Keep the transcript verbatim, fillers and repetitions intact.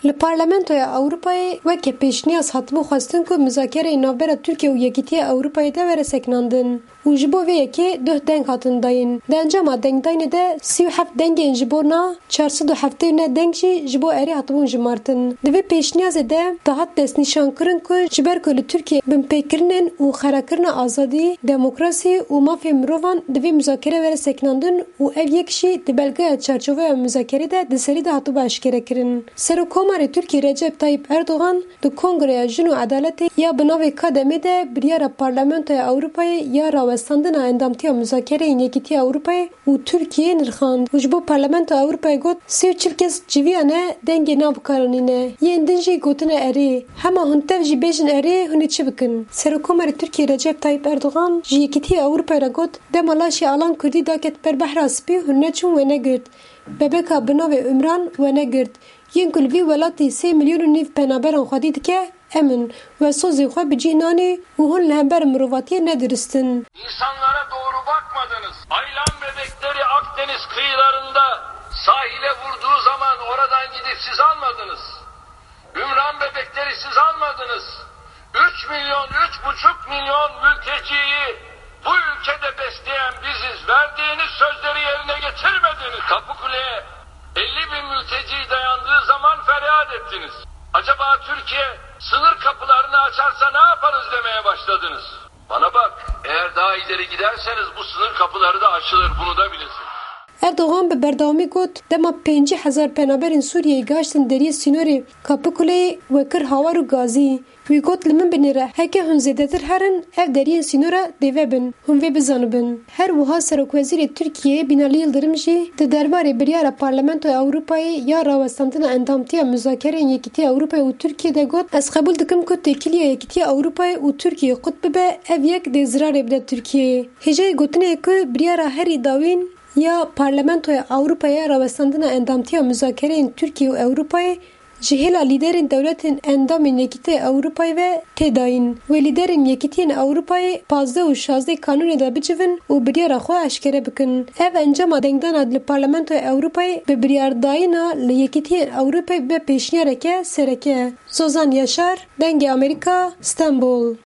Li Parlamentoya Ewropayê weke pêşniyaz hatibû xwestin ku muzakereyê navbera Tirkiye û Yekîtiya Ewropayê de were sekinandin û ji bo vê yekê duh deng hatin dayîn. Di encama dengdayînê de sî û heft dengên ji bona çar sed û heftê û neh deng jî ji bo erê hatibûn jimartin. Di vê pêşniyazê de dihat destnîşankirin ku ji ber ku li Tirkiyê binpêkirinên û xerakirina azadî, demokrasî û mafê mirovan di vê muzakere were sekinandin û ev yek jî di belgeya çarçoveya muzakerê de di serî de hatibû eşkerekirin. Serokkomarê Tirkiyê Recep Tayyip Erdogan di Kongreya Jin û Edaletê ya bi navê Kademê de biryara Parlamentoya Ewropayê ya rawestandina endamtiya muzakereyên Yekîtiya Ewropayê û Tirkiyeyê nirxand û ji bo Parlamentoya Ewropayê got, sê û çil kes civiyane dengê nabikaranîne. Yên din jî gotine erê. Hema hûn tev jî bêjin erê, hûn ê çi bikin? Serokkomarê Tirkiyê Recep Tayyip Erdogan ji Yekîtiya Ewropayê re got, dema laşê Alan Kurdî daket ber Behra Spî, hûn neçûn we negirt. Bebeka bi navê Umran we negirt. Yên ku li vî welatî sê milyon û nîv penaberan xwedî dike, em in. We sozê xwe bi cih nanî û hûn li hember mirovatiyê nedurist in. İnsanlara doğru bakmadınız. Aylan bebekleri Akdeniz kıyılarında sahile vurduğu zaman oradan gidip siz almadınız. Ümran bebekleri siz almadınız. Üç milyon, üç buçuk milyon mülteciyi bu ülkede besleyen biziz. Verdiğiniz sözleri yerine getirmediniz. Kapıkule'ye elli bin mülteci dayandığı zaman feryat ettiniz. Acaba Türkiye sınır kapılarını açarsa ne yaparız demeye başladınız. Bana bak, eğer daha ileri giderseniz bu sınır kapıları da açılır, bunu da bilesin. Erdogan bi berdewamî got, dema pêncî hezar penaberên Sûriyeyê gihiştin deriyê sînorê Kapıkule'yê we kir hawar û gazî. Wî got, li min binêre, heke hûn zêdetir herin, ev deriyên sînora dê vebin, hûn vê bizanibin. Her wiha Serokwezîrê Tirkiyeyê Binali Yildirim jî di derbarê biryara Parlamentoya Ewropayê ya rawestandina endamtiya muzakereyên Yekîtiya Ewropayê û Tirkiyê de got, ez qebûl dikim ku têkiliya Yekîtiya Ewropayê û Tirkiyeyê qut bibe, ev yek dê zirarê bide Tirkiyeyê. Hêjayî gotinê ye ku biryara herî dawîn ya Parlamentoya Ewropayê ya rawestandina endamtiya muzakereyên Tirkiye û Ewropayê ji hêla lîderên dewletên endamên Yekîtiya Ewropayê ve tê dayîn. Wê lîderên Yekîtiyên Ewropayê pazdeh û şazdeh Kanûnê de bicivin û biryara xwe eşkere bikin. Ev encama dengdana li Parlamentoya Ewropayê bi biryardayîna li Yekîtiyên Ewropayê bibe pêşniyareke sereke. Zozan Yaşar, Dengê Amerîka, Stenbol.